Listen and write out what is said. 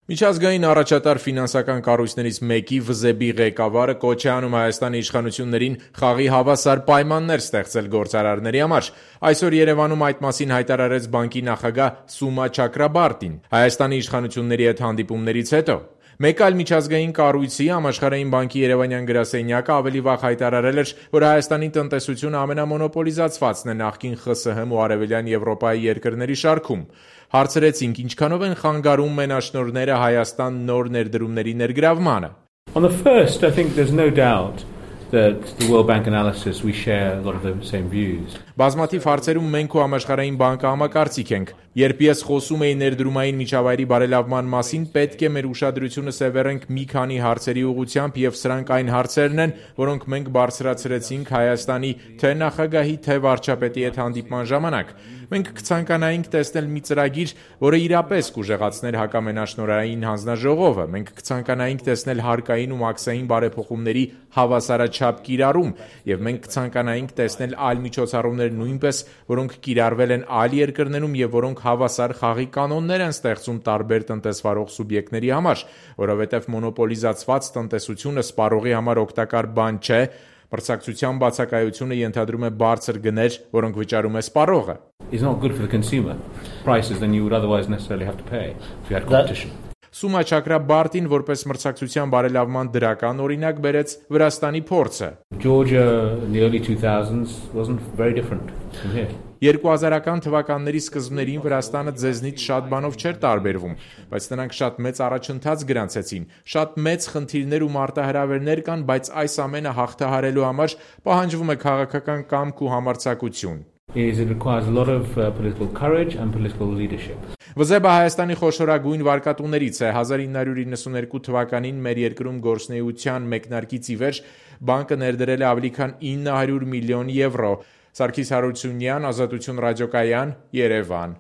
Միջազգային առաջատար ֆինանսական կառույցներից մեկի ՎԶԲ-ի ղեկավարը կոչ է անում Հայաստանի իշխանություններին խաղի հավասար պայմաններ ստեղծել գործարարների համար։ Այսօր Երևանում այդ մասին հայտարարեց բանկի նախագահ Սումա Չակրաբարտին Հայաստանի իշխանությունների հետ հանդիպումներից հետո։ Մեկ այլ միջազգային կառույցի Համաշխարհային բանկի երևանյան գրասենյակը ավելի վաղ հայտարարել էր, որ Հայաստանի տնտեսությունը ամենամոնոպոլիզացվածն է նախկին ԽՍՀՄ ու Արևելյան Եվրոպայի երկրների շարքում։ Հարցրեցինք՝ ինչքանով են խանգարում մենաշնորհները Հայաստան նոր ներդրումների ներգրավմանը։ On the first, I think there's no doubt that the World Bank analysis we share a lot of the same views. Բազմաթիվ հարցերում մենք ու Համաշխարհային բանկը համակարծիք ենք։ Երբ ես խոսում էի ներդրումային միջավայրի բարելավման մասին, պետք է մեր ուշադրությունը սևեռենք մի քանի հարցերի ուղղությամբ, եւ սրանք այն հարցերն են, որոնք մենք բարձրացրեցինք Հայաստանի թե նախագահի, թե վարչապետի հետ հանդիպման ժամանակ։ Մենք կցանկանայինք տեսնել մի ծրագիր, որը իրապես կուժեղացներ հակամենաշնորհային հանձնաժողովը։ Մենք կցանկանայինք տեսնել հարկային ու մաքսային բարեփոխումների հավասարաչափ կիրառում, եւ մենք կցանկանայինք տեսնել այլ միջոցառումներ նույնպես, որոնք կիրառվել են այլ երկրներում եւ որոնք հավասար խաղի կանոններ են ստեղծում տարբեր տնտեսվարող սուբյեկտների համար, որովհետեւ մոնոպոլիզացված տնտեսությունը սպառողի համար օգտակար բան չէ։ Մրցակցության բացակայությունը ենթադրում է բարձր գներ, որոնք վճարում է սպառողը։ It's not good for the consumer. Prices than you would otherwise necessarily have to pay if you had competition. Սումա Չակրաբարտին որպես մրցակցության բարելավման դրական օրինակ բերեց Վրաստանի փորձը։ Georgia in the early 2000s wasn't very different from here. 2000-ական թվականների սկզբներին Վրաստանը ձեզնից շատ բանով չէր տարբերվում, բայց նրանք շատ մեծ առաջընթաց գրանցեցին։ Շատ մեծ խնդիրներ ու մարտահրավերներ կան, բայց այս ամենը հաղթահարելու համար պահանջվում է քաղաքական կամք ու համարձակություն։ It requires a lot of political courage and political leadership. ՎԶԲ-ը Հայաստանի խոշորագույն վարկատուներից է։ 1992 թվականին մեր երկրում գործունեության մեկնարկից ի վեր բանկը ներդրել է ավելի քան 900 միլիոն եվրո։ Սարգիս Հարությունյան, Ազատություն ռադիոկայան, Երևան։